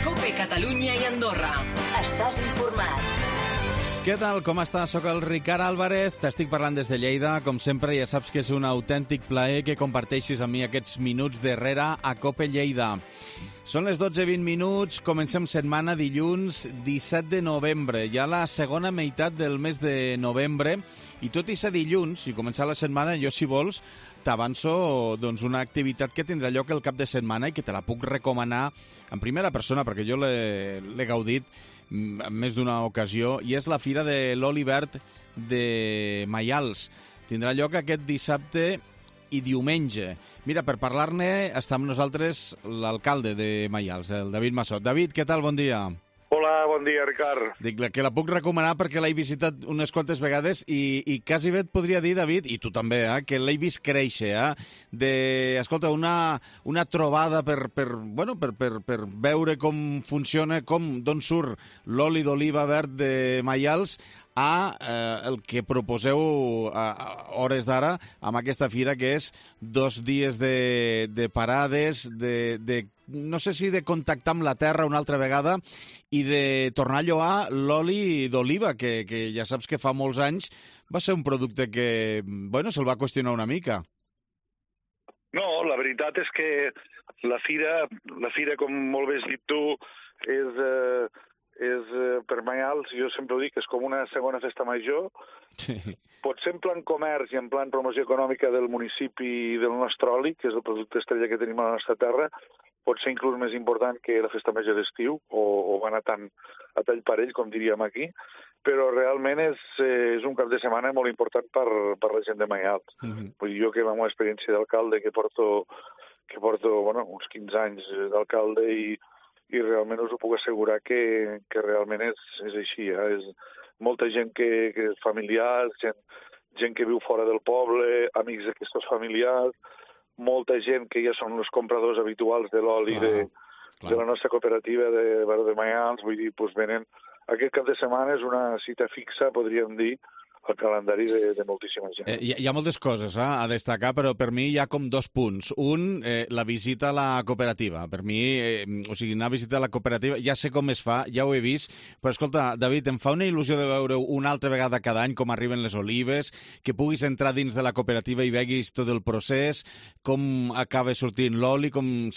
COPE Catalunya i Andorra. Estàs informat. Què tal, com estàs? Soc el Ricard Álvarez, t'estic parlant des de Lleida. Com sempre, ja saps que és un autèntic plaer que comparteixis amb mi aquests minuts darrere a COPE Lleida. Són les 12:20, comencem setmana dilluns 17 de novembre, ja la segona meitat del mes de novembre, i tot i ser dilluns i començar la setmana, jo, si vols, t'avanço una activitat que tindrà lloc el cap de setmana i que te la puc recomanar en primera persona, perquè jo l'he gaudit en més d'una ocasió, i és la Fira de l'Oli Verd de Maials. Tindrà lloc aquest dissabte i diumenge. Mira, per parlar-ne està amb nosaltres l'alcalde de Maials, el David Massot. David, què tal? Bon dia. Hola, bon dia, Ricard. Dic que la puc recomanar perquè l'he visitat unes quantes vegades i quasi bé et podria dir, David, i tu també, que l'he vist créixer, escolta, una trobada per veure com funciona, d'on surt l'oli d'oliva verd de Maials el que proposeu a hores d'ara amb aquesta fira, que és 2 dies de parades, no sé si de contactar amb la terra una altra vegada i de tornar a lloar l'oli d'oliva, que ja saps que fa molts anys va ser un producte que, se'l va qüestionar una mica. No, la veritat és que la fira, com molt bé has dit tu, és per Maials, jo sempre ho dic, és com una segona festa major. Sí. Potser en plan comerç i en plan promoció econòmica del municipi del nostre oli, que és el producte estrella que tenim a la nostra terra, pot ser inclús més important que la festa major d'estiu, o va anar tant a tall parell, com diríem aquí, però realment és un cap de setmana molt important per la gent de Maials. Vull dir, jo que amb l'experiència d'alcalde, que porto uns 15 anys d'alcalde, i realment us ho puc assegurar que realment és així. És molta gent que és familiars, gent que viu fora del poble, amics d'aquests familiars, molta gent que ja són els compradors habituals de l'oli de la nostra cooperativa de Maials. Vull dir, venen... Aquest cap de setmana és una cita fixa, podríem dir, al calendari de moltíssima gent. Hi ha moltes coses a destacar, però per mi hi ha com 2 punts. Un, la visita a la cooperativa. Per mi, anar a visitar la cooperativa, ja sé com es fa, ja ho he vist, però escolta, David, em fa una il·lusió de veure una altra vegada cada any com arriben les olives, que puguis entrar dins de la cooperativa i veguis tot el procés, com acaba sortint l'oli, com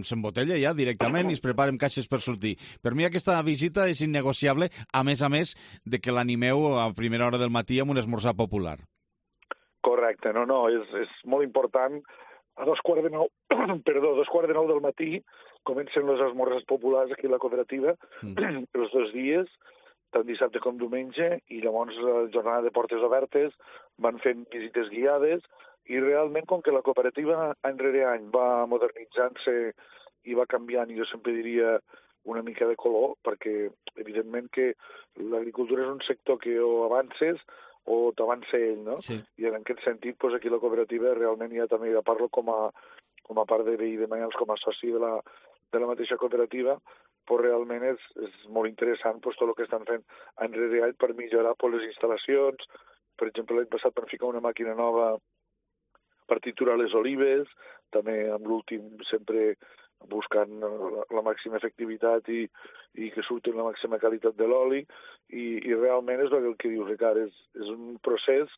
s'embotella ja directament i es preparen caixes per sortir. Per mi aquesta visita és innegociable, a més de que l'animeu a primera hora del matí amb un esmorzar popular. Correcte, és molt important. A 2:15 del matí comencen les esmorzars populars aquí a la cooperativa, els 2 dies, tant dissabte com diumenge, i llavors la jornada de portes obertes, van fent visites guiades, i realment, com que la cooperativa any rere any va modernitzant-se i va canviant, i jo sempre diria una mica de color, perquè evidentment que l'agricultura és un sector que o avances o t'avança ell, no? Sí. I en aquest sentit, aquí la cooperativa realment ja també parlo com a part de veí de Maials, com a soci de la mateixa cooperativa, però realment és molt interessant tot el que estan fent any rere any per millorar les instal·lacions. Per exemple, l'any passat van ficar una màquina nova per triturar les olives, també amb l'últim sempre buscant la màxima efectivitat i que surti la màxima qualitat de l'oli, i realment és el que dius, Ricard, és un procés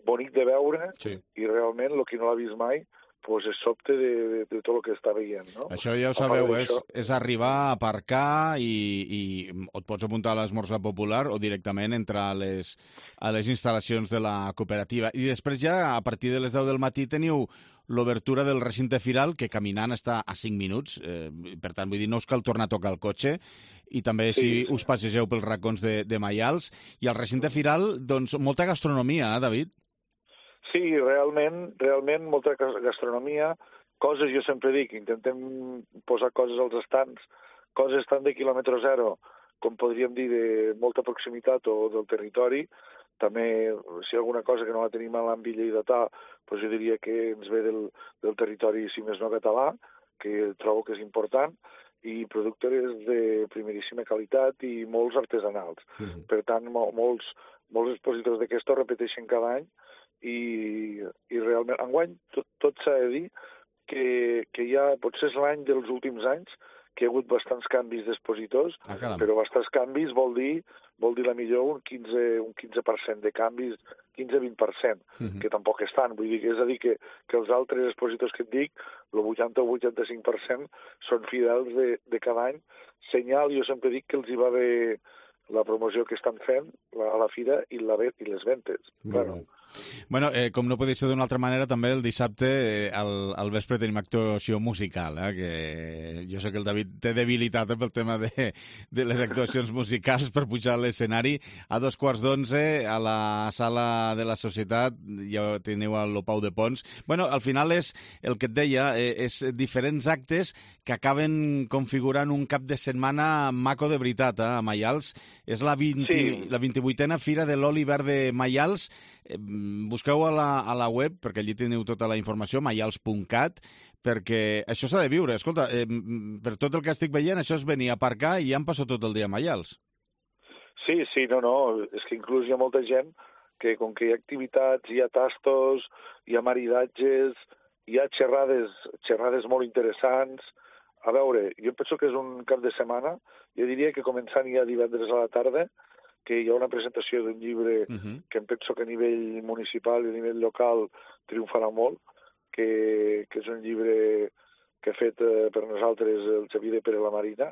bonic de veure, sí. I realment el que no l'ha vist mai és sobte de tot el que està veient, no? Això ja ho sabeu, és arribar a aparcar i et pots apuntar a l'esmorzar popular o directament entrar a les instal·lacions de la cooperativa. I després ja, a partir de les 10 del matí, teniu l'obertura del recinte firal, que caminant està a 5 minuts, per tant, vull dir, no us cal tornar a tocar el cotxe, i també si us passegeu pels racons de Maials. I al recinte firal, doncs, molta gastronomia, David? Sí, realment molta gastronomia, coses, jo sempre dic, intentem posar coses als estants, coses tant de quilòmetre zero, com podríem dir de molta proximitat o del territori. També, si hi ha alguna cosa que no la tenim a l'àmbit lleidatà, jo diria que ens ve del territori, si més no català, que trobo que és important, i productes de primeríssima qualitat i molts artesanals. Per tant, molts expositors d'aquests repeteixen cada any, i realment, enguany, tot s'ha de dir que ja potser és l'any dels últims anys que hi ha hagut bastants canvis d'expositors, però bastants canvis vol dir la millor un 15% de canvis, 15-20%, que tampoc és tant. Vull dir, és a dir, que els altres expositors que et dic, el 80 o 85% són fidels de cada any. Senyal, jo sempre dic que els hi va bé la promoció que estan fent a la fira i les ventes. Claro. Bueno, com no podria ser d'una altra manera, també el dissabte al vespre tenim actuació musical, que jo sé que el David té debilitat pel tema de les actuacions musicals per pujar a l'escenari. A 11:15 a la sala de la Societat, ja teniu el Pau de Pons. Bueno, al final és el que et deia, és diferents actes que acaben configurant un cap de setmana maco de veritat, a Maials. És la 28a Fira de l'Oli Verd de Maials. Busqueu a la web, perquè allí teniu tota la informació, maials.cat, perquè això s'ha de viure. Escolta, per tot el que estic veient, això és venir a aparcar i ja em passo tot el dia a Maials. Sí, no, és que inclús hi ha molta gent que, com que hi ha activitats, hi ha tastos, hi ha maridatges, hi ha xerrades molt interessants. A veure, jo penso que és un cap de setmana, jo diria que començant ja divendres a la tarda, que hi ha una presentació d'un llibre que em penso que a nivell municipal i a nivell local triomfarà molt, que és un llibre que ha fet per nosaltres el Xavier de Pere la Marina,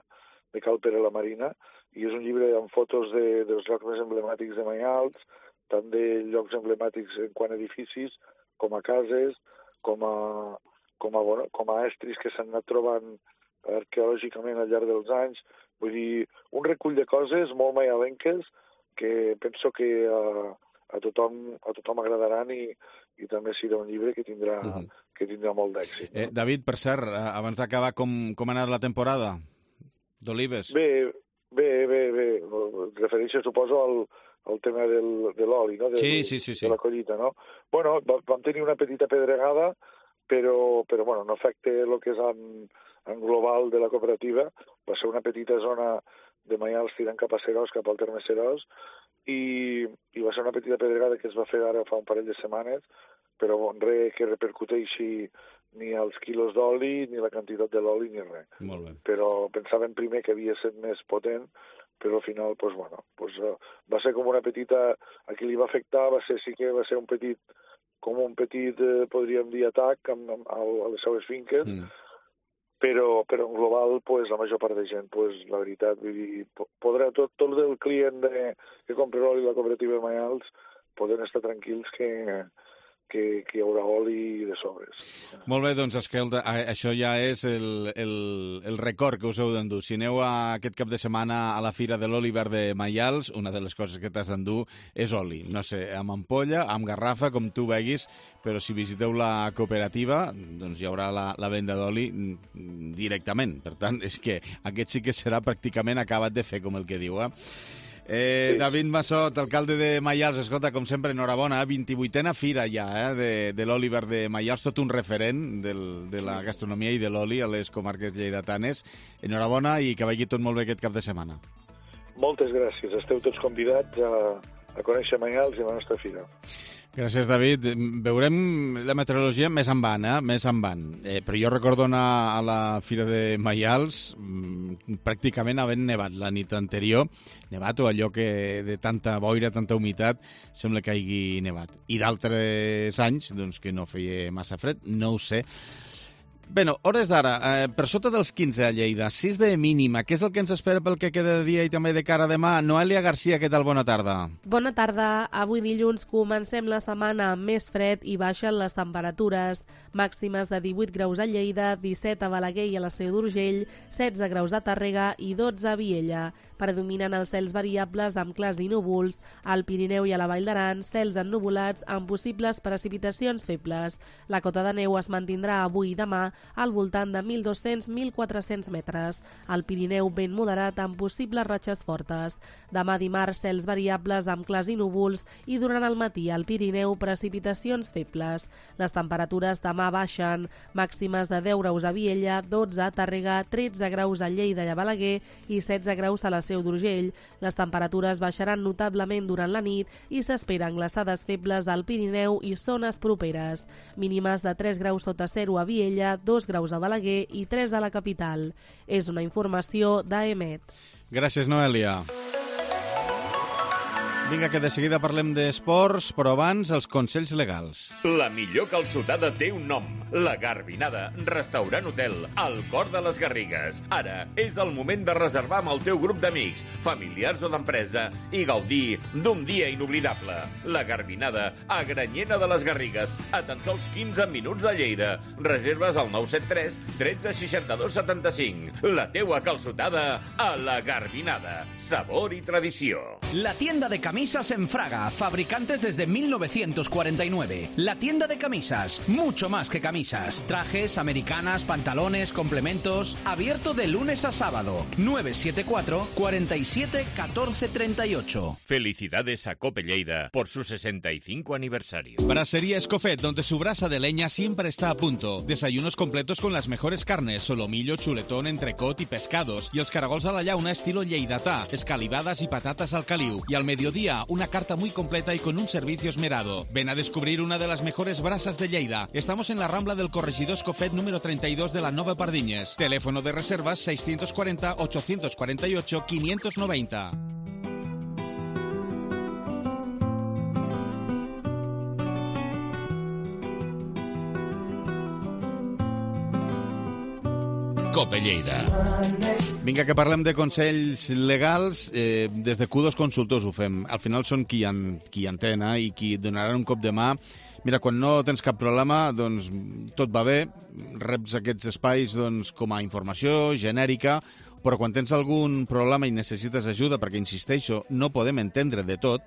de Cal Pere la Marina, i és un llibre amb fotos dels llocs més emblemàtics de Maials, tant de llocs emblemàtics en quant a edificis, com a cases, com a estris que s'han anat trobant arqueològicament al llarg dels anys. Vull dir, un recull de coses molt maialenques que penso que a tothom agradaran i també serà un llibre que tindrà molt d'èxit. David, per cert, abans d'acabar, com ha anat la temporada d'olives? Bé. Referència, suposo, al tema de l'oli, no? Sí. De la collita, no? Bueno, vam tenir una petita pedregada, però bueno, no afecta el que és en global de la cooperativa. Va ser una petita zona de Maials tirant cap a Seròs, cap al terme Seròs, i va ser una petita pedregada que es va fer ara fa un parell de setmanes, però res que repercuteixi ni els quilos d'oli, ni la quantitat de l'oli, ni res. Molt bé. Però pensaven primer que havia estat més potent, però al final, va ser com una petita... A qui li va afectar sí que va ser un petit, podríem dir, atac a les seues finques, però en global, la major part de gent, la veritat, vull dir, podrà tot el client que compra l'oli a la cooperativa de Maials poden estar tranquils que hi haurà oli de sobres. Molt bé, doncs, escolta, això ja és el record que us heu d'endur. Si aneu aquest cap de setmana a la Fira de l'Oli Verd de Maials, una de les coses que t'has d'endur és oli. No sé, amb ampolla, amb garrafa, com tu veguis, però si visiteu la cooperativa, doncs hi haurà la venda d'oli directament. Per tant, és que aquest sí que serà pràcticament acabat de fer, com el que diu, Sí. David Massot, alcalde de Maials, escolta, com sempre, enhorabona, 28a Fira ja, de l'oli verd de Maials, tot un referent de la gastronomia i de l'oli a les comarques lleidatanes. Enhorabona i que vagi tot molt bé aquest cap de setmana. Moltes gràcies, esteu tots convidats a conèixer Maials i la nostra fira. Gràcies, David. Veurem la meteorologia més endavant, més endavant. Però jo recordo anar a la Fira de Maials pràcticament havent nevat la nit anterior. Nevat o allò que de tanta boira, tanta humitat, sembla que hagi nevat. I d'altres anys, doncs, que no feia massa fred, no ho sé. Bé, hores d'ara, per sota dels 15 a Lleida, 6 de mínima. Què és el que ens espera pel que queda de dia i també de cara a demà? Noelia Garcia, què tal? Bona tarda. Bona tarda. Avui dilluns comencem la setmana amb més fred i baixen les temperatures. Màximes de 18 graus a Lleida, 17 a Balaguer i a la Seu d'Urgell, 16 graus a Tàrrega i 12 a Viella. Predominen els cels variables amb clars i núvols. Al Pirineu i a la Vall d'Aran, cels ennuvolats amb possibles precipitacions febles. La cota de neu es mantindrà avui i demà al voltant de 1.200-1.400 metres. Al Pirineu, vent moderat amb possibles ratxes fortes. Demà dimarts, cels variables amb clars i núvols i durant el matí al Pirineu, precipitacions febles. Les temperatures demà baixen. Màximes de 10 graus a Viella, 12 a Tàrrega, 13 graus a Lleida i a Balaguer i 16 graus a la Seu d'Urgell. Les temperatures baixaran notablement durant la nit i s'esperen glaçades febles al Pirineu i zones properes. Mínimes de 3 graus sota zero a Viella, 2 graus a Balaguer i 3 a la capital. És una informació d'AEMET. Gràcies, Noelia. Vinga, que de seguida parlem d'esports, però abans els consells legals. La millor calçotada té un nom. La Garbinada, restaurant hotel, al cor de les Garrigues. Ara és el moment de reservar amb el teu grup d'amics, familiars o d'empresa i gaudir d'un dia inoblidable. La Garbinada, a Granyena de les Garrigues, a tan sols 15 minuts de Lleida. Reserves al 973 13 62 75. La teua calçotada a la Garbinada. Sabor i tradició. La tienda de camisas en Fraga, fabricantes desde 1949. La tienda de camisas, mucho más que camisas. Trajes, americanas, pantalones, complementos. Abierto de lunes a sábado. 974 47 14 38. Felicidades a Cope Lleida por su 65 aniversario. Brasería Escofet, donde su brasa de leña siempre está a punto. Desayunos completos con las mejores carnes, solomillo, chuletón, entrecot y pescados. Y els caragols a la llauna estilo lleidatà, escalivadas y patatas al caliu. Y al mediodía, una carta muy completa y con un servicio esmerado. Ven a descubrir una de las mejores brasas de Lleida. Estamos en la Rambla del Corregidor Escofet número 32 de la Nova Pardiñes. Teléfono de reservas 640 848 590. Cope Lleida. Vinga, que parlem de consells legals. Des de Q2 Consultors ho fem. Al final són qui entén i qui et donaran un cop de mà. Mira, quan no tens cap problema, doncs tot va bé, reps aquests espais doncs, com a informació genèrica, però quan tens algun problema i necessites ajuda, perquè, insisteixo, no podem entendre de tot,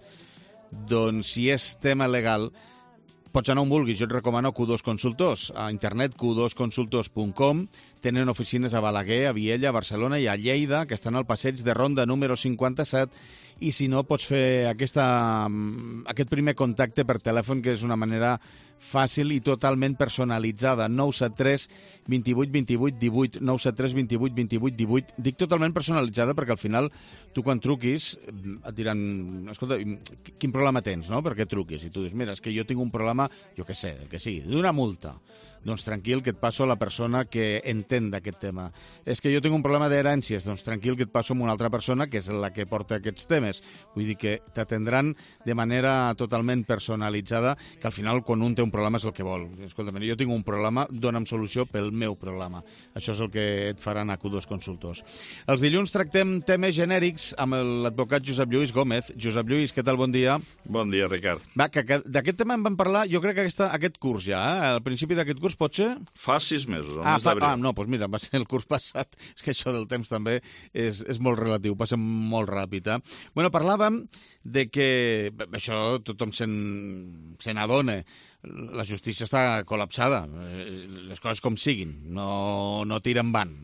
doncs si és tema legal, pots anar on vulguis. Jo et recomano Q2 Consultors. A internet, q2consultors.com. Tenen oficines a Balaguer, a Viella, a Barcelona i a Lleida, que estan al passeig de Ronda número 57, i si no, pots fer aquest primer contacte per telèfon, que és una manera fàcil i totalment personalitzada. 973 28 28 18, 973 28 28 18. Dic totalment personalitzada perquè al final tu quan truquis et diran, escolta, quin problema tens, no? Per què truquis? I tu dius, mira, és que jo tinc un problema, jo què sé, el que sigui, d'una multa. Doncs tranquil, que et passo a la persona que entén d'aquest tema. És que jo tinc un problema d'herències, doncs tranquil, que et passo amb una altra persona que és la que porta aquests temes. Vull dir que t'atendran de manera totalment personalitzada, que al final quan un té un problema és el que vol. Escolta, jo tinc un problema, dona'm solució pel meu problema. Això és el que et faran a Q2 Consultors. Els dilluns tractem temes genèrics amb l'advocat Josep Lluís Gómez. Josep Lluís, què tal? Bon dia. Bon dia, Ricard. Va, que d'aquest tema en vam parlar, jo crec que aquest curs ja, al principi d'aquest curs pot ser? Fa 6 mesos, el mes d'abril. No, doncs mira, va ser el curs passat. És que això del temps també és molt relatiu, passa molt ràpid. Bueno, parlàvem de que, això tothom se n'adona, la justícia està col·lapsada, les coses com siguin, no tira endavant,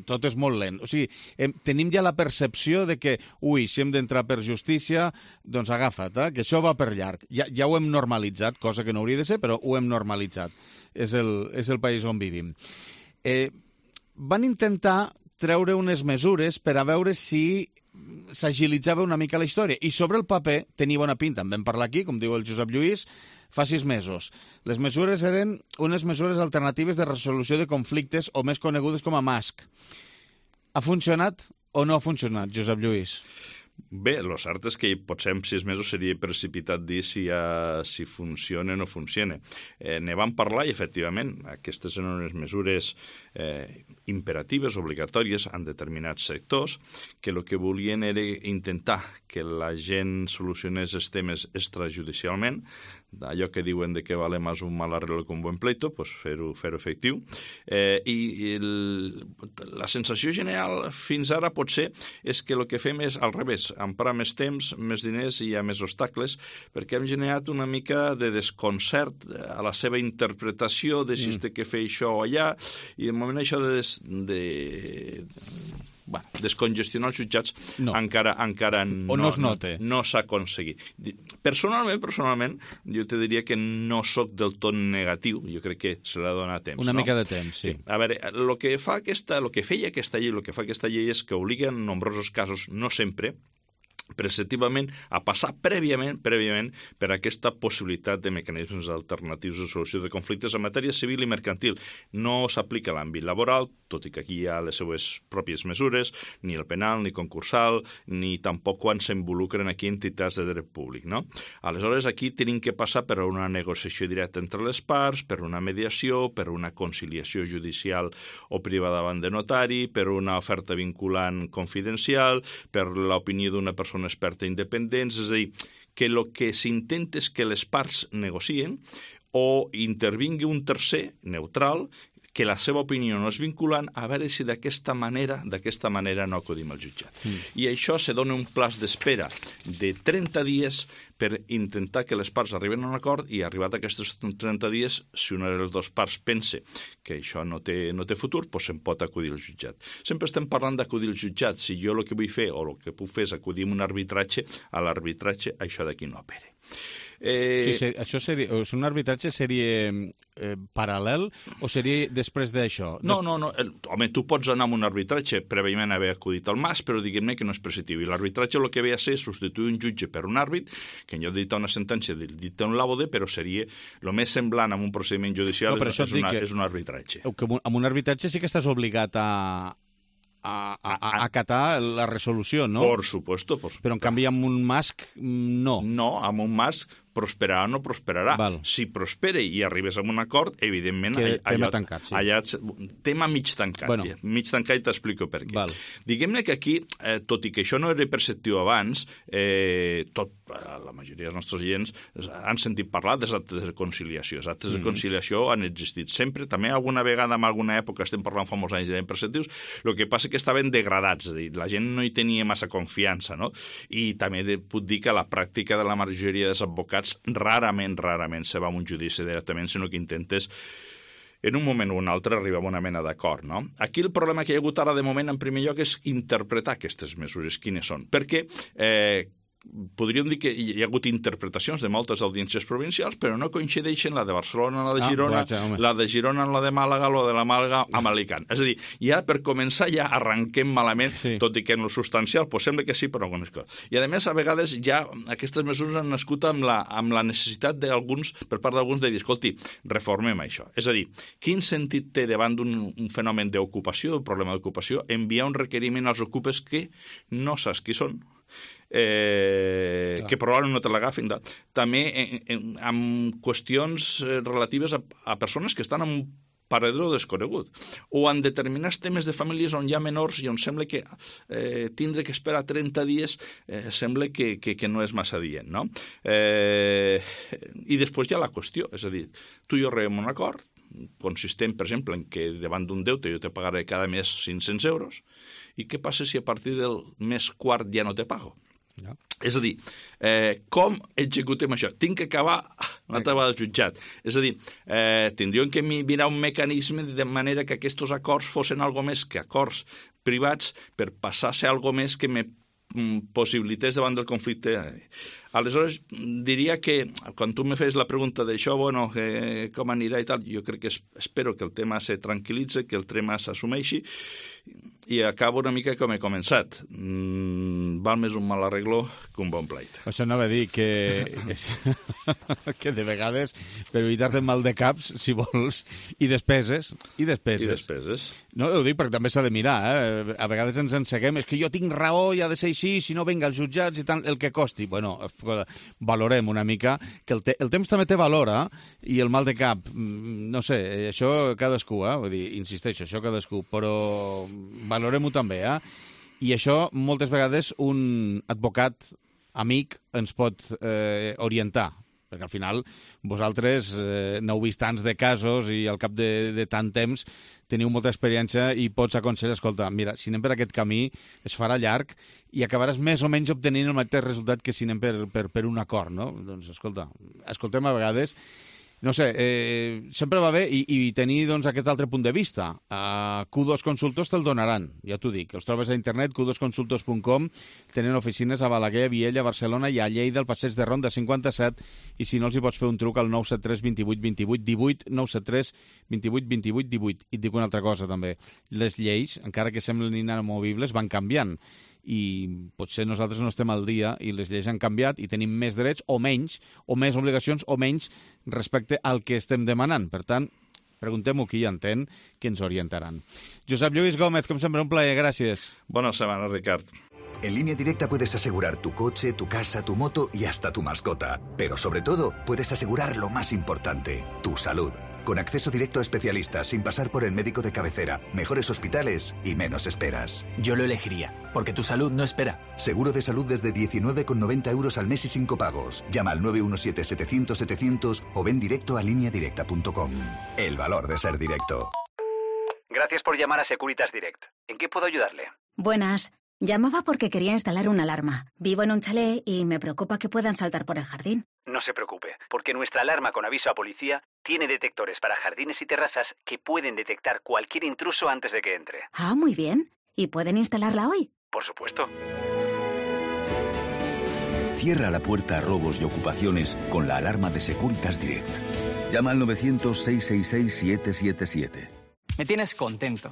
tot és molt lent. O sigui, tenim ja la percepció de que, si hem d'entrar per justícia, doncs agafa't, que això va per llarg. Ja ho hem normalitzat, cosa que no hauria de ser, però ho hem normalitzat. És el país on vivim. Van intentar treure unes mesures per a veure si s'agilitzava una mica la història. I sobre el paper tenia bona pinta. En vam parlar aquí, com diu el Josep Lluís, fa 6 mesos. Les mesures eren unes mesures alternatives de resolució de conflictes o més conegudes com a MASC. Ha funcionat o no ha funcionat, Josep Lluís? Bé, el cert és que potser en 6 mesos seria precipitat dir si funciona o no funciona. Ne vam parlar i, efectivament, aquestes eren unes mesures imperatives, obligatòries en determinats sectors, que el que volien era intentar que la gent solucionés els temes extrajudicialment, d'allò que diuen de que vale més un mal arreglo que un buen pleito, pues fer-ho efectiu. I la sensació general fins ara potser és que el que fem és al revés, emprar més temps, més diners i hi ha més obstacles, perquè hem generat una mica de desconcert a la seva interpretació de si es té que fer això o allà, i de moment això descongestionar els jutjats encara no s'ha aconseguit. Personalment, jo te diria que no sóc del tot negatiu, jo crec que se l'ha donat temps. Una mica de temps, sí. A veure, el que feia aquesta llei és que obliga en nombrosos casos, no sempre, preceptivament a passar prèviament per aquesta possibilitat de mecanismes alternatius de solució de conflictes en matèria civil i mercantil. No s'aplica a l'àmbit laboral, tot i que aquí hi ha les seues pròpies mesures, ni el penal, ni concursal, ni tampoc quan s'involucren aquí entitats de dret públic, no? Aleshores, aquí tenim que passar per una negociació directa entre les parts, per una mediació, per una conciliació judicial o privada davant de notari, per una oferta vinculant confidencial, per l'opinió d'una persona experta independent, és a dir, que el que s'intenta és que les parts negocien o intervingui un tercer, neutral, que la seva opinió no és vinculant, a veure si d'aquesta manera no acudim al jutjat. I això se dona un plaç d'espera de 30 dies per intentar que les parts arriben a un acord i arribat a aquests 30 dies, si una de les dues parts pensa que això no té futur, doncs se'n pot acudir al jutjat. Sempre estem parlant d'acudir al jutjat. Si jo el que vull fer o el que puc fer és acudir a un arbitratge, a l'arbitratge això d'aquí no opera. Això seria, un arbitratge seria paral·lel o seria després d'això? No. Home, tu pots anar amb un arbitratge prèviament haver acudit al MAS, però diguem-ne que no és preceptiu. I l'arbitratge el que ve a ser substituir un jutge per un àrbit, que en lloc de dictar una sentència dicta un laude, però seria el més semblant a un procediment judicial, és un arbitratge. Amb un arbitratge sí que estàs obligat a acatar la resolució, no? Por supuesto. Però en canvi amb un MASC no. No, amb un MASC prosperarà o no prosperarà. Val. Si prospera i arribes a un acord, evidentment... Tema tancat, sí. Allà, tema mig tancat. Bueno. Mig tancat i t'explico per què. Val. Diguem-ne que aquí, tot i que això no era perceptiu abans, la majoria dels nostres oients han sentit parlar dels actes de conciliació. Els actes de conciliació han existit sempre. També alguna vegada, en alguna època, estem parlant fa molts anys de perceptius, el que passa que estaven degradats, és a dir, la gent no hi tenia massa confiança, no? I també puc dir que la pràctica de la majoria dels advocats rarament se va a un judici directament, sinó que intentes en un moment o un altre arribar a una mena d'acord, no? Aquí el problema que hi ha hagut ara de moment, en primer lloc, és interpretar aquestes mesures, quines són. Perquè podríem dir que hi ha hagut interpretacions de moltes audiències provincials, però no coincideixen la de Barcelona, la de Girona, la de Girona, la de Màlaga, la de la Màlaga amb Alicant. És a dir, ja per començar ja arrenquem malament, tot i que en lo substancial sembla que sí, però algunes coses. I a més, a vegades ja aquestes mesures han nascut amb la necessitat per part d'alguns de dir, escolti, reformem això. És a dir, quin sentit té davant d'un fenomen d'ocupació, d'un problema d'ocupació, enviar un requeriment als ocupes que no saps qui són, que probablement no te l'agafin. També amb qüestions relatives a persones que estan en un parador desconegut, o en determinats temes de famílies on hi ha menors i on sembla que tindre que esperar 30 dies sembla que no és massa dient, no? I després hi ha la qüestió, és a dir, tu i jo arribem a un acord consistent, per exemple, en que davant d'un deute jo te pagaré cada mes 500 euros, i què passa si a partir del mes quart ja no te pago? No. És a dir, com executem això? Tinc que acabar una taula del jutjat. És a dir, tindríem que mirar un mecanisme de manera que aquests acords fossin algo més que acords privats per passar a ser algo més que me possibilités davant del conflicte. Aleshores, diria que quan tu me fes la pregunta d'això, bueno, com anirà i tal, jo crec que espero que el tema se tranquil·litze, que el tema s'assumeixi, i acabo una mica com he començat. Val més un mal arreglo que un bon pleit. Això anava a dir que de vegades, per evitar-te mal de caps, si vols, i despeses. No, ho dic perquè també s'ha de mirar, A vegades ens enseguem, és que jo tinc raó i ha de ser així, si no venga als jutjats i tant, el que costi. Bueno, valorem una mica, que el temps també té valor, i el mal de cap, no sé, això cadascú, vull dir, insisteixo, això cadascú, però valorem-ho també, I això moltes vegades un advocat amic ens pot orientar, perquè al final vosaltres n'heu vist tants de casos i al cap de tant temps teniu molta experiència i pots aconsellar, escolta, mira, si anem per aquest camí es farà llarg i acabaràs més o menys obtenint el mateix resultat que si anem per un acord, no? Doncs escolta, escoltem a vegades. No sé, sempre va bé i tenir doncs, aquest altre punt de vista. Q2 Consultors te'l donaran, ja t'ho dic. Els trobes a internet, q2consultors.com, tenen oficines a Balaguer, a Viella, a Barcelona i a Lleida, al Passeig de Ronda 57, i si no els hi pots fer un truc al 973 28 28 18, 973 28 28 18. I et dic una altra cosa també, les lleis, encara que semblin inamovibles, van canviant. i potser nosaltres no estem al dia i les lleis han canviat i tenim més drets o menys, o més obligacions o menys respecte al que estem demanant. Per tant, preguntem-ho qui hi entén, que ens orientaran. Josep Lluís Gómez, com sempre, un plaer, gràcies. Bona setmana, Ricard. En Línea Directa puedes asegurar tu coche, tu casa, tu moto y hasta tu mascota. Pero sobre todo, puedes asegurar lo más importante, tu salud. Con acceso directo a especialistas, sin pasar por el médico de cabecera, mejores hospitales y menos esperas. Yo lo elegiría, porque tu salud no espera. Seguro de salud desde 19,90 € al mes y sin copagos. Llama al 917-700-700 o ven directo a lineadirecta.com. El valor de ser directo. Gracias por llamar a Securitas Direct. ¿En qué puedo ayudarle? Buenas. Llamaba porque quería instalar una alarma. Vivo en un chalet y me preocupa que puedan saltar por el jardín. No se preocupe, porque nuestra alarma con aviso a policía tiene detectores para jardines y terrazas que pueden detectar cualquier intruso antes de que entre. Ah, muy bien. ¿Y pueden instalarla hoy? Por supuesto. Cierra la puerta a robos y ocupaciones con la alarma de Securitas Direct. Llama al 900-666-777. Me tienes contento.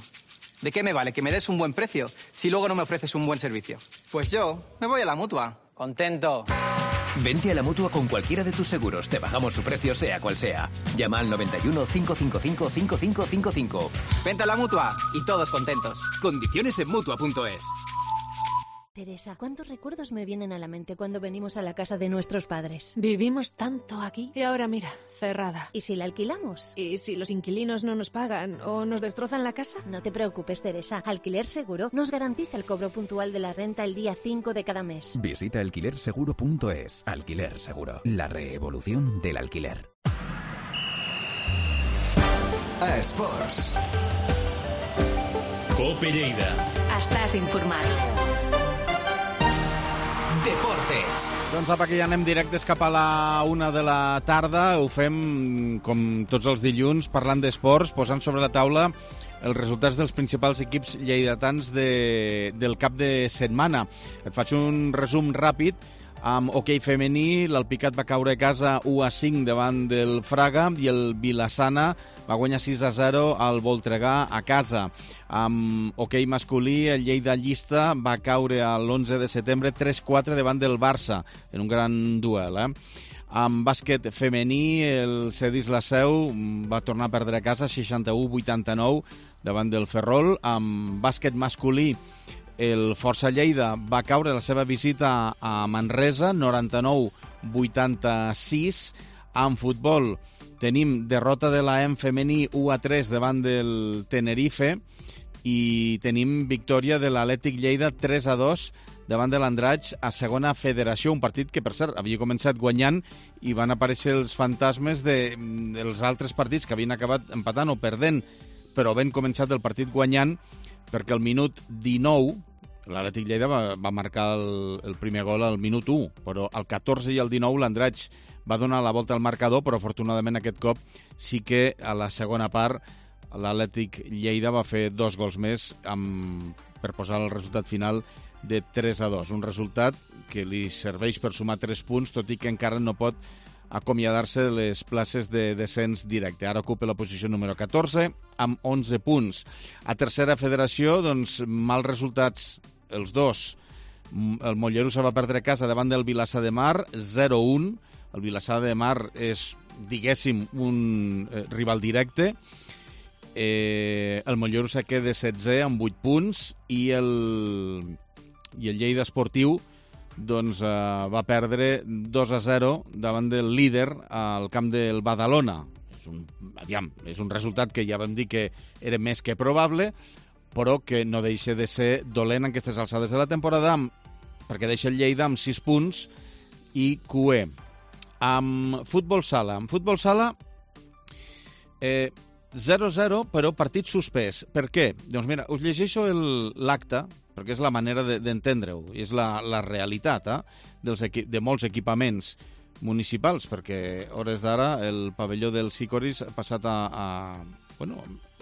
¿De qué me vale que me des un buen precio si luego no me ofreces un buen servicio? Pues yo me voy a la Mutua. Contento. Vente a la Mutua con cualquiera de tus seguros. Te bajamos su precio sea cual sea. Llama al 91 555 5555. Vente a la Mutua y todos contentos. Condiciones en Mutua.es. Teresa, ¿cuántos recuerdos me vienen a la mente cuando venimos a la casa de nuestros padres? Vivimos tanto aquí y ahora mira, cerrada. ¿Y si la alquilamos? ¿Y si los inquilinos no nos pagan o nos destrozan la casa? No te preocupes, Teresa. Alquiler Seguro nos garantiza el cobro puntual de la renta el día 5 de cada mes. Visita alquilerseguro.es. Alquiler Seguro, la revolución del alquiler. A Esports. Cope Lleida. Estàs informat. Deportes. Doncs apa, que ja anem directes cap a la 1 de la tarda. Ho fem, com tots els dilluns, parlant d'esports, posant sobre la taula els resultats dels principals equips lleidatans del cap de setmana. Et faig un resum ràpid. Amb hoquei femení, l'Alpicat va caure a casa 1-5 davant del Fraga i el Vilassana va guanyar 6-0 al Voltregà a casa. Amb hoquei masculí, el Lleida Llista va caure l'11 de setembre 3-4 davant del Barça, en un gran duel. Amb bàsquet femení, el Cedis La Seu va tornar a perdre a casa 61-89 davant del Ferrol. Amb bàsquet masculí, el Força Lleida va caure la seva visita a Manresa, 99-86. En futbol tenim derrota de l'AEM femení 1-3 davant del Tenerife i tenim victòria de l'Atlètic Lleida 3-2 davant de l'Andratx a segona federació, un partit que, per cert, havia començat guanyant i van aparèixer els fantasmes dels altres partits que havien acabat empatant o perdent, però ben començat el partit guanyant, perquè al minut 19 l'Atlètic Lleida va marcar el primer gol al minut 1, però al 14 i al 19 l'Andratx va donar la volta al marcador, però afortunadament aquest cop sí que a la segona part l'Atlètic Lleida va fer 2 gols més per posar el resultat final de 3-2. Un resultat que li serveix per sumar 3 punts, tot i que encara no pot acomiadar-se de les places de descens directe. Ara ocupa la posició número 14 amb 11 punts. A tercera federació, doncs, mals resultats els dos. El Mollerussa va perdre casa davant del Vilassar de Mar, 0-1. El Vilassar de Mar és, diguéssim, un rival directe. El Mollerussa queda 16 amb 8 punts i el Lleida Esportiu doncs va perdre 2-0 davant del líder al camp del Badalona. És un resultat que ja vam dir que era més que probable, però que no deixa de ser dolent en aquestes alçades de la temporada, perquè deixa el Lleida amb 6 punts i QE. Amb futbol sala. 0-0, però partit suspès. Per què? Doncs mira, us llegeixo l'acte, perquè és la manera d'entendre-ho, és la realitat de molts equipaments municipals, perquè a hores d'ara el pavelló del Sicoris ha passat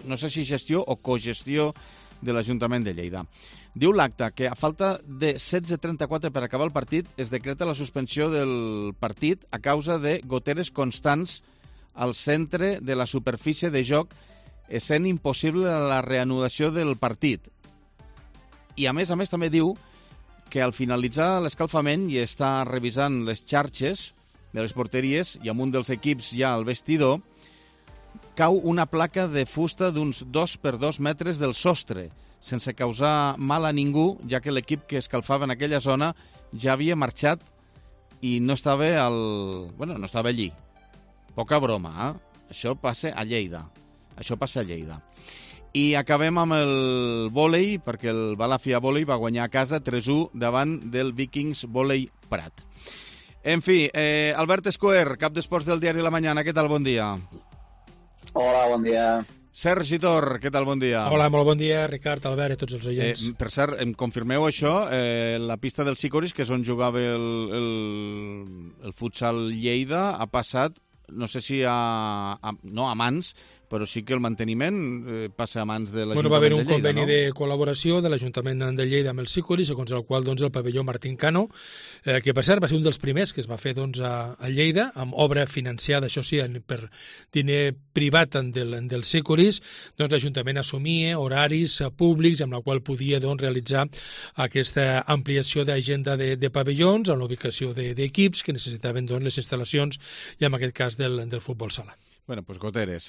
no sé si gestió o cogestió de l'Ajuntament de Lleida. Diu l'acte que a falta de 16:34 per acabar el partit es decreta la suspensió del partit a causa de goteres constants al centre de la superfície de joc, essent impossible la reanudació del partit. I a més també diu que al finalitzar l'escalfament i estar revisant les xarxes de les porteries i amb un dels equips ja al vestidor, cau una placa de fusta d'uns 2 per 2 metres del sostre, sense causar mal a ningú, ja que l'equip que escalfava en aquella zona ja havia marxat i no estava no estava allí. Poca broma, eh? Això passa a Lleida. I acabem amb el vòlei, perquè el Balàfia Vòlei va guanyar a casa 3-1 davant del Vikings Vòlei Prat. En fi, Albert Escuer, cap d'esports del diari La Mañana, què tal? Bon dia. Hola, bon dia. Sergi Tor, què tal? Bon dia. Hola, molt bon dia, Ricard, Albert i tots els oients. Per cert, em confirmeu això, la pista del Sicoris, que és on jugava el futsal Lleida, ha passat, no sé si no a mans, però sí que el manteniment passa a mans de l'Ajuntament de Lleida, va haver un conveni de col·laboració de l'Ajuntament de Lleida amb el Sicori, segons el qual el pavelló Martín Cano, que per cert va ser un dels primers que es va fer a Lleida, amb obra financiada, això sí, per diner privat del Sicoris, l'Ajuntament assumia horaris públics amb la qual podia realitzar aquesta ampliació d'agenda de pavellons amb l'ubicació d'equips que necessitaven les instal·lacions i en aquest cas del futbol sala. Bueno, doncs goteres.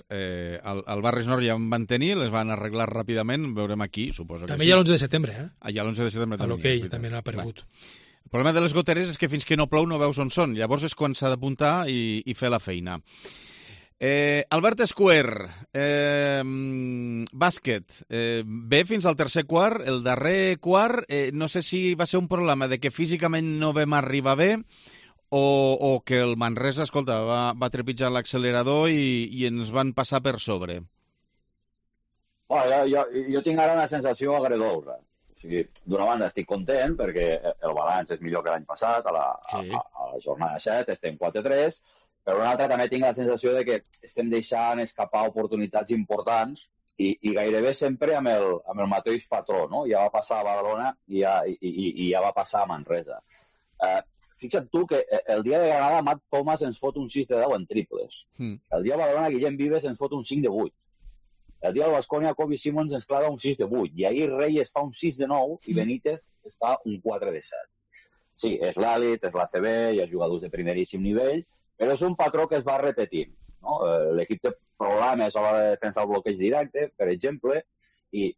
Al Barris Nord ja en van tenir, les van arreglar ràpidament, veurem aquí, suposo que també sí. hi ha l'11 de setembre, eh? Hi ha l'11 de setembre també. A l'hoquei també n'ha aparegut. El problema de les goteres és que fins que no plou no veus on són, llavors és quan s'ha d'apuntar i fer la feina. Albert Escuer, bàsquet, bé fins al tercer quart, el darrer quart, no sé si va ser un problema de que físicament no vam arribar bé, o que el Manresa, escolta, va trepitjar l'accelerador i ens van passar per sobre? Bueno, jo tinc ara una sensació agredolça. O sigui, d'una banda estic content perquè el balanç és millor que l'any passat, a la jornada 7 estem 4-3, però una altra també tinc la sensació de que estem deixant escapar oportunitats importants i gairebé sempre amb el mateix patró, no? Ja va passar a Badalona i ja va passar a Manresa. Fixa't tu que el dia de Granada Matt Thomas ens fot un 6 de 10 en triples. El dia de Badalona Guillem Vives ens fot un 5 de 8. El dia del Baskonia Kobe Simons ens clava un 6 de 8. I ahir Reyes fa un 6 de 9 i Benítez es fa un 4 de 7. Sí, és l'Elit, és l'ACB, hi ha jugadors de primeríssim nivell, però és un patró que es va repetint. No? L'equip té problemes a l'hora de defensar el bloqueig directe, per exemple, i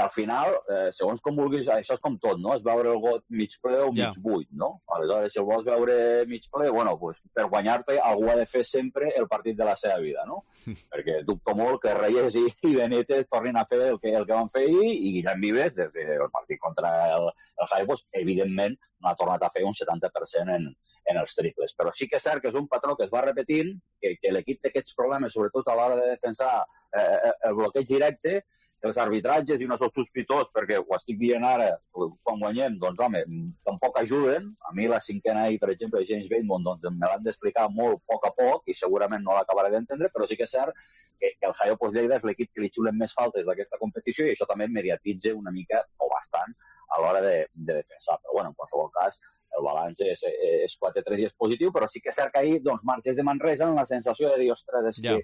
al final, segons com vulguis, això és com tot, no? És veure el got mig ple o mig buit, no? Aleshores, si el vols veure mig ple, bueno, pues, per guanyar-te algú ha de fer sempre el partit de la seva vida, no? Perquè dubto molt que Reyes i Benítez tornin a fer el que van fer ahir i Guillem Vives, des del partit contra el Jaén, pues, evidentment, no ha tornat a fer un 70% en els triples. Però sí que és cert que és un patró que es va repetint, que l'equip té aquests problemes, sobretot a l'hora de defensar el bloqueig directe, els arbitratges, i no soc sospitós perquè ho estic dient ara, quan guanyem, doncs home, tampoc ajuden. A mi la cinquena ahir, per exemple, James Bateman, doncs me l'han d'explicar molt a poc i segurament no l'acabaré d'entendre, però sí que és cert que el Jaén Lleida és l'equip que li xulen més faltes d'aquesta competició i això també mediatitza una mica o bastant a l'hora de defensar. Però bueno, en qualsevol cas, el balanç és 4-3 i és positiu, però sí que és cert que ahir doncs, marxes de Manresa amb la sensació de dir, ostres, és que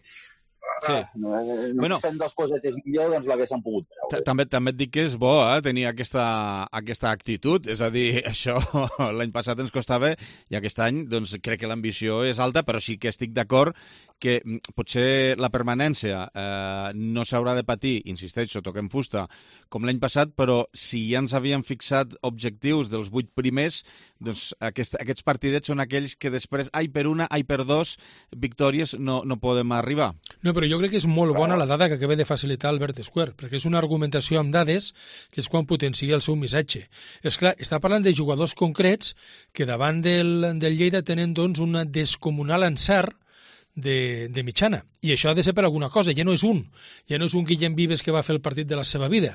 no fent dues cosetes millor, doncs l'haguessin pogut treure. També et dic que és bo tenir aquesta actitud, és a dir, això l'any passat ens costava i aquest any doncs, crec que l'ambició és alta, però sí que estic d'acord que potser la permanència no s'haurà de patir, insisteixo, toquem fusta, com l'any passat, però si ja ens havíem fixat objectius dels 8 primers, doncs aquests partidets són aquells que després, ai per una, ai per dos victòries no podem arribar. No, però jo crec que és molt bona la dada que acaba de facilitar Albert Escuer, perquè és una argumentació amb dades que és quan potencia el seu missatge. És clar, està parlant de jugadors concrets que davant del Lleida tenen doncs un descomunal encert de mitjana. I això ha de ser per alguna cosa. Ja no és un Guillem Vives que va fer el partit de la seva vida.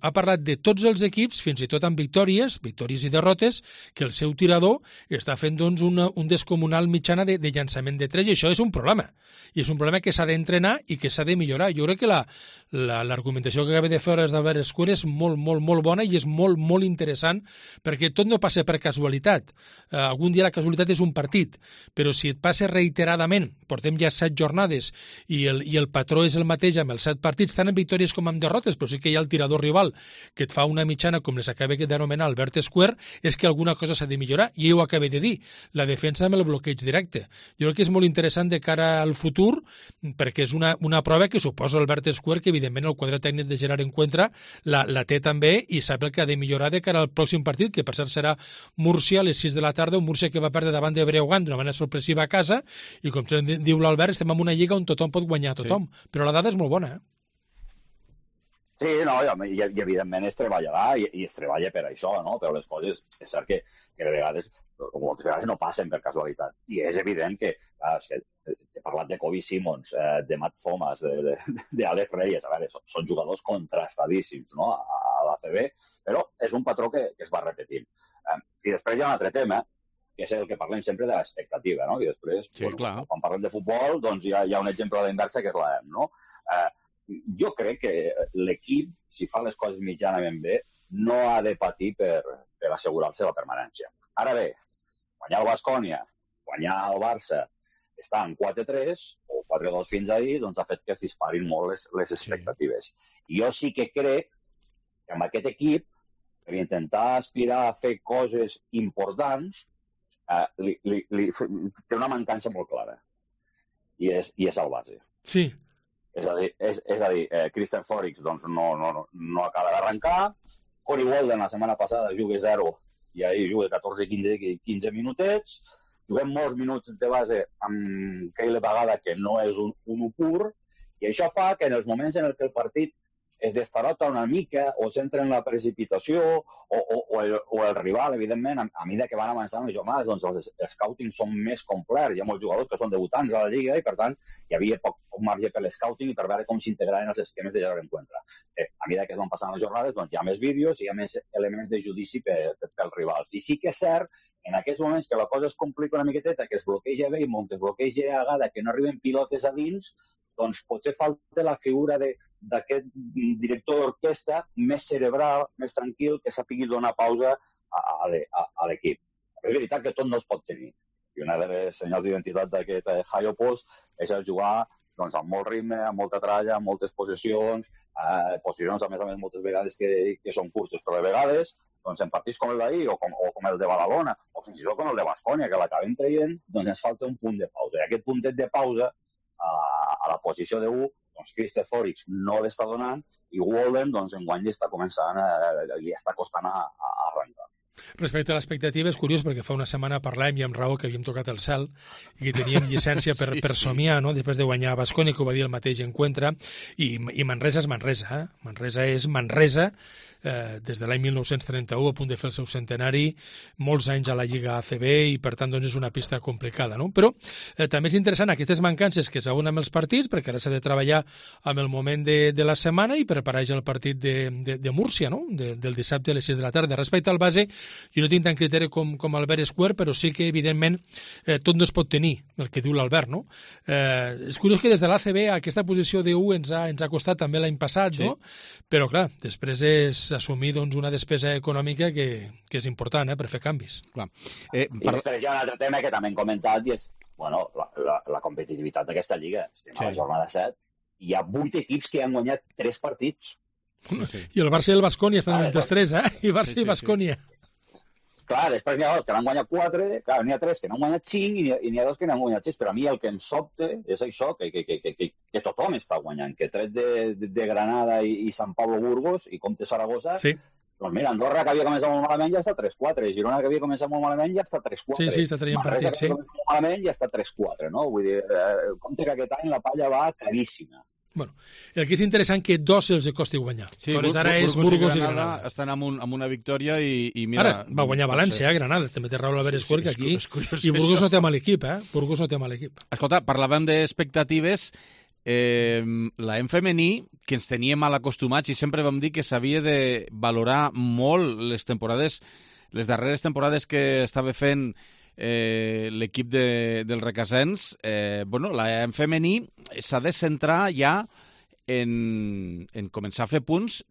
Ha parlat de tots els equips, fins i tot amb victòries i derrotes, que el seu tirador està fent doncs, un descomunal mitjana de llançament de 3, i això és un problema. I és un problema que s'ha d'entrenar i que s'ha de millorar. Jo crec que l'argumentació que acaba de fer d'Albert Escuer és molt, molt, molt bona i és molt, molt interessant, perquè tot no passa per casualitat. Algun dia la casualitat és un partit, però si et passa reiteradament portem ja 7 jornades i el patró és el mateix amb els 7 partits, tant en victòries com en derrotes, però sí que hi ha el tirador rival que et fa una mitjana, com les acaba d'anomenar Albert Square, és que alguna cosa s'ha de millorar, i ho acabé de dir, la defensa amb el bloqueig directe. Jo crec que és molt interessant de cara al futur, perquè és una prova que suposa Albert Square, que evidentment el quadre tècnic de Gerard Encuentra la té també i sap el que ha de millorar de cara al pròxim partit, que per cert serà Múrcia a les 6 de la tarda, un Múrcia que va perdre davant de Breogán d'una manera sorpressiva a casa, i com diu l'Albert, estem en una lliga on tothom pot guanyar a tothom, però la dada és molt bona, Sí, no, i evidentment es treballarà i es treballa per això, no? Però les coses, és cert que de vegades, moltes vegades no passen per casualitat. I és evident que, he parlat de Kobe Simons, de Matt Thomas, d'Alex Reyes, a veure, són jugadors contrastadíssims, no?, a l'ACB, però és un patró que es va repetint. I després hi ha un altre tema, que és el que parlem sempre de l'expectativa, no? I després, quan parlem de futbol, doncs hi ha un exemple a la inversa que és l'AEM, no? Jo crec que l'equip, si fa les coses mitjanament bé, no ha de patir per assegurar-se la permanència. Ara bé, guanyar el Baskonia, guanyar el Barça, estar en 4-3 o 4-2 fins ahir, doncs ha fet que es disparin molt les expectatives. I jo sí que crec que amb aquest equip, per intentar aspirar a fer coses importants, té una mancança molt clara. I és el base. Sí. És a dir, Christian Forix doncs, no acaba d'arrencar, Corey Walden la setmana passada juga 0 i ahir juga 14-15 minutets, juguem molts minuts de base amb Keile Bagada, que no és un 1 pur, i això fa que en els moments en què el partit es destarota una mica o s'entra en la precipitació o el rival, evidentment, a mesura que van avançant les jornades, doncs els scouting són més complets. Hi ha molts jugadors que són debutants a la Lliga i, per tant, hi havia poc marge per l'escouting i per veure com s'integraven els esquemes de Gerard Encuentra. A mesura que es van passant les jornades, doncs hi ha més vídeos i hi ha més elements de judici pels rivals. I sí que és cert, en aquests moments que la cosa es complica una miqueteta, que es bloqueja Beimont, que es bloqueja Agada, que no arriben pilotes a dins, doncs potser falta la figura d'aquest director d'orquestra més cerebral, més tranquil, que sàpigui donar pausa a l'equip. És veritat que tot no es pot tenir. I una de les senyals d'identitat d'aquest high post és jugar doncs, amb molt ritme, amb molta tralla, amb moltes possessions, posicions, a més, moltes vegades que són curtes, però de vegades, doncs, en partits com el d'ahir o com el de Badalona, o fins i tot com el de Baskonia, que l'acabem traient, doncs ens falta un punt de pausa. I aquest puntet de pausa a la posició de 1, doncs Christopher Forix no l'està donant i Walden, doncs, enguany li està començant, li està costant a arrencar. Respecte a l'expectativa, és curiós perquè fa una setmana parlàvem i amb raó que havíem tocat el cel i que teníem llicència per somiar, no? Després de guanyar a Baskonia, que ho va dir el mateix Encuentra, i Manresa és Manresa. Manresa és Manresa, des de l'any 1931, a punt de fer el seu centenari, molts anys a la Lliga ACB i, per tant, doncs és una pista complicada, no? Però també és interessant aquestes mancances que es veuen amb els partits, perquè ara s'ha de treballar amb el moment de la setmana i preparar ja el partit de Múrcia, no? Del dissabte a les 6 de la tarda. Respecte al base, jo no tinc tant criteri com Albert Square, però sí que, evidentment, tot no es pot tenir, el que diu l'Albert, no? És curiós que des de l'ACB aquesta posició de 1 ens ha costat també l'any passat, no? Però, clar, després és assumir doncs, una despesa econòmica que és important per fer canvis. Clar. I després hi ha un altre tema que també hem comentat i és la competitivitat d'aquesta lliga. Estem a la jornada 7. Hi ha 8 equips que han guanyat 3 partits. I el Barça i el Baskonia estan en els 3, I Barça i Baskonia. Clar, després n'hi ha 2 que n'han guanyat 4, clar, n'hi ha 3 que n'han guanyat 5 i n'hi ha 2 que n'han guanyat 6, però a mi el que em sobta és això, que tothom està guanyant, que tret de Granada i Sant Pablo Burgos i Comte Saragossa, doncs mira, Andorra, que havia començat molt malament, ja està 3-4, Girona, que havia començat molt malament, ja està 3-4. Sí, està traient partits, Manresa, que havia començat molt malament, ja està 3-4, no? Vull dir, compte que aquest any la palla va caríssima. Bueno, el que és interessant que 2 els costi guanyar. Sí, Burgos i Granada estan amb una victòria i mira... Ara, va guanyar València, Granada, també té raó l'Albert Square, que aquí... I Burgos no té mal equip, Burgos no té mal equip. Escolta, parlàvem d'expectatives, la en femení, que ens teníem mal acostumats i sempre vam dir que s'havia de valorar molt les darreres temporades que estava fent l'equip del Requesens, la en femení s'ha de centrar ja en començar a fer punts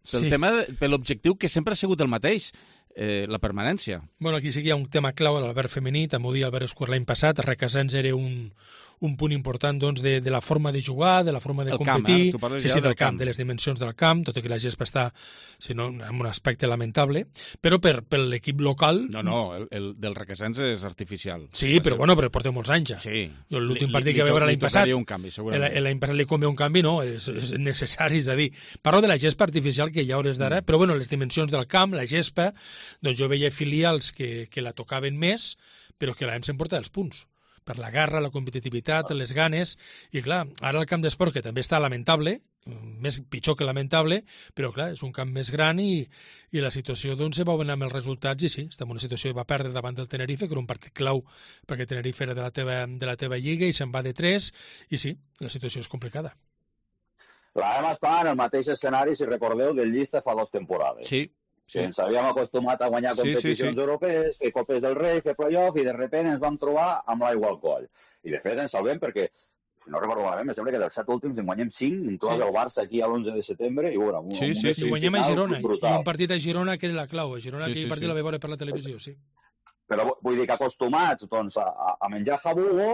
per l'objectiu que sempre ha sigut el mateix, la permanència. Bueno, aquí sí que hi ha un tema clau a l'Albert femení, també ho dia Albert Square l'any passat, Requesens era un un punt important doncs, de la forma de jugar, de la forma de competir. Tu parles sí, del camp, de les dimensions del camp, tot i que la gespa està en un aspecte lamentable, però per l'equip local... No, el del Requesens és artificial. Sí, però però porta molts anys ja. Sí. L'últim partit que va veure l'any passat... un canvi, segurament. L'any passat li convé un canvi, no, és necessari, és a dir, parlo de la gespa artificial que hi ha hores d'ara, però les dimensions del camp, la gespa, doncs jo veia filials que la tocaven més, però que l'AEM s'emporta els punts, per la garra, la competitivitat, les ganes, i clar, ara el camp d'esport, que també està lamentable, pitjor que lamentable, però clar, és un camp més gran i la situació doncs se va anar amb els resultats i sí, estem en una situació que va perdre davant del Tenerife, que era un partit clau perquè Tenerife era de la teva lliga i se'n va de 3 i sí, la situació és complicada. L'AEM està en el mateix escenari, si recordeu, del Llista fa 2 temporades. Sí. Sí. Ens havíem acostumat a guanyar competicions europees, fer Copes del Rei, fer play-off, i de sobte ens vam trobar amb l'aigua al coll. I de fet ens salvem perquè, si no recordo malament, em sembla que dels 7 últims en guanyem 5, inclòs el Barça aquí a l'11 de setembre, i veure, i guanyem a Girona, i un partit a Girona que era la clau. A Girona aquell partit la vaig veure per la televisió, sí. Però vull dir que acostumats a menjar jabugo,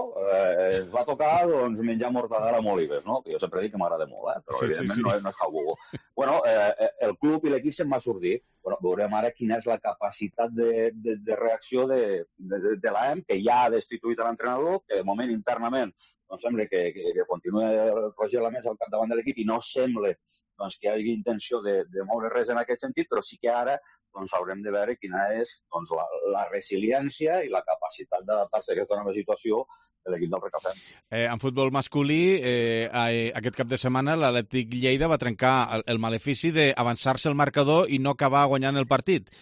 es va tocar menjar mortadela amb olives, no? Que jo sempre dic que m'agrada molt, però evidentment no és jabugo. Bueno, el club i l'equip se'n va sortir. Veurem ara quina és la capacitat de reacció de l'AEM, que ja ha destituït l'entrenador, que de moment internament sembla que continua Roger Lamés al capdavant de l'equip i no sembla que hi hagi intenció de moure res en aquest sentit, però sí que ara haurem de veure quina és la resiliència i la capacitat d'adaptar-se a aquesta nova situació de l'equip del Requesens. En futbol masculí, aquest cap de setmana l'Atlètic Lleida va trencar el malefici d'avançar-se el marcador i no acabar guanyant el partit.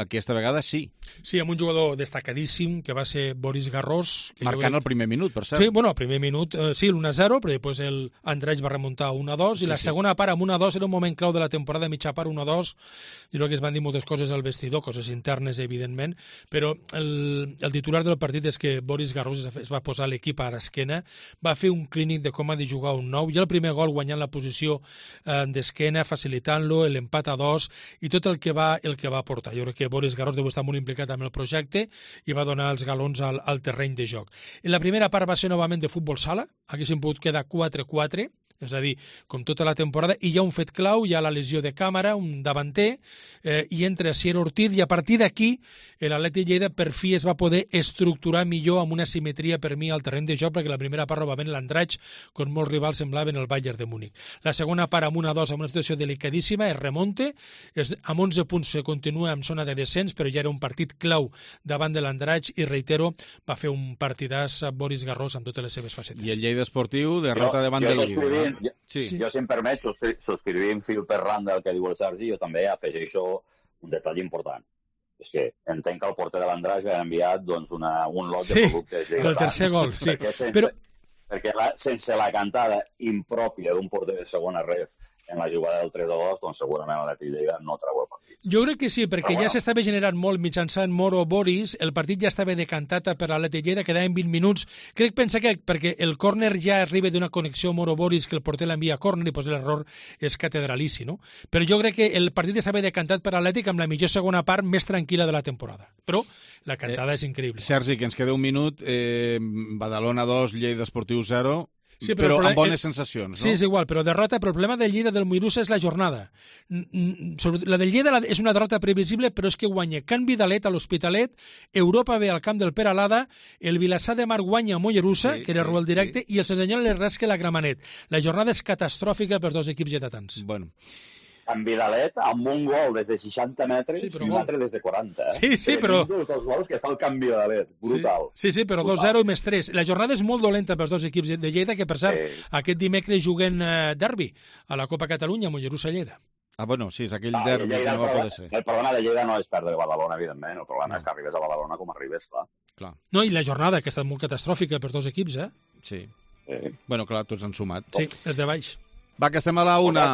Aquesta vegada sí. Sí, amb un jugador destacadíssim que va ser Boris Garrós. Marcant el primer minut, per cert. Sí, el primer minut, sí, l'1-0, però després l'Andreix va remuntar 1-2 i la segona part amb 1-2 era un moment clau de la temporada, mitja part 1-2. Jo crec que es van dir moltes coses al vestidor, coses internes, evidentment, però el titular del partit és que Boris Garrós es va posar l'equip a l'esquena, va fer un clínic de com ha de jugar un nou, i el primer gol guanyant la posició d'esquena, facilitant-lo, l'empat a 2 i tot el que va portar. Jo crec que Boris Garrós deu estar molt implicat amb el projecte i va donar els galons al terreny de joc. En la primera part va ser novament de futbol sala, haguéssim pogut quedar 4-4, és a dir, com tota la temporada, i hi ha un fet clau, hi ha la lesió de Càmara, un davanter, i entra Sier Ortiz, i a partir d'aquí l'Atlètic Lleida per fi es va poder estructurar millor amb una simetria per mi al terreny de joc, perquè la primera part novament l'Andratx, com molts rivals semblaven el Bayern de Múnich. La segona part amb 1-2, amb una situació delicadíssima, es remonte, amb 11 punts se continua en zona de descens, però ja era un partit clau davant de l'Andratx, i reitero, va fer un partidàs Boris Garrós amb totes les seves facetes. I el Lleida Esportiu, derrota davant del líder. Jo, si em permet, subscrivim fil per randa el que diu el Sergi, jo també afegeixo un detall important. És que entenc que el porter de l'Andràs va enviat un lot de productes. Sí, del tercer gol, sí. Perquè sense la cantada impròpia d'un porter de segona ref en la jugada del 3-2, doncs segurament l'Atlètic Lleida no treu el partit. Jo crec que sí, perquè ja s'estava generant molt mitjançant Moro Boris, el partit ja estava decantat per l'Atlètic Lleida, quedaven 20 minuts. Crec, pensa que perquè el córner ja arriba d'una connexió Moro Boris, que el porter l'envia a córner i l'error és catedralici, no? Però jo crec que el partit estava decantat per l'Atlètic amb la millor segona part més tranquil·la de la temporada. Però la cantada és increïble. Sergi, que ens queda un minut, Badalona 2, Lleida Esportiu 0... Sí, però amb bones sensacions, no? Sí, és igual, però derrota, però el problema del Lleida del Mollerussa és la jornada. La del Lleida és una derrota previsible, però és que guanya Can Vidalet a l'Hospitalet, Europa ve al camp del Peralada, el Vilassar de Mar guanya a Mollerussa, que era el directe, i el Cerdanyola li rasca la Gramenet. La jornada és catastròfica per dos equips lleidatans. Bueno. En Vidalet, amb un gol des de 60 metres i un altre des de 40. Sí, però... Els dos gols que fa el Can Vidalet, brutal. Sí, però 2-0 i més 3. La jornada és molt dolenta pels dos equips de Lleida, que per cert, aquest dimecres juguen derbi a la Copa Catalunya, Mollerussa-Lleida. Bueno, sí, és aquell derbi que no va poder ser. El problema de Lleida no és perdre Badalona, evidentment. El problema és que arribes a Badalona com arribes, clar. No, i la jornada, que ha estat molt catastròfica per dos equips, Sí. Bueno, clar, tots han sumat. Sí, els de baix. Va, que estem a la 1.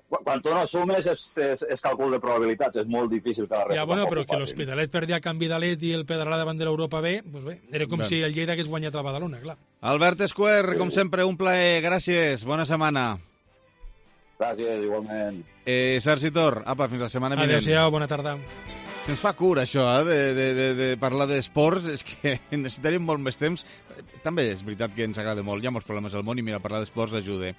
Quan tu no sumes és càlcul de probabilitats, és molt difícil que la resta... Ja, bueno, però que l'Hospitalet perdia Can Vidalet i el Pedralà davant de l'Europa B, doncs bé, era com si el Lleida hagués guanyat a Badalona, clar. Albert Esquer, com sempre, un plaer, gràcies, bona setmana. Gràcies, igualment. Sergi Tor, apa, fins la setmana vinent. Adéu-siau, bona tarda. Se'ns fa cura, això, de parlar d'esports. És que necessitaríem molt més temps. També és veritat que ens agrada molt. Hi ha molts problemes al món i, mira, parlar d'esports ajuda.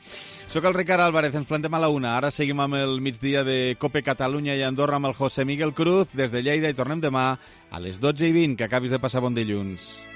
Soc el Ricard Álvarez, ens plantem a la 1. Ara seguim amb el migdia de Cope Catalunya i Andorra amb el José Miguel Cruz des de Lleida i tornem demà a les 12:20. Que acabis de passar bon dilluns.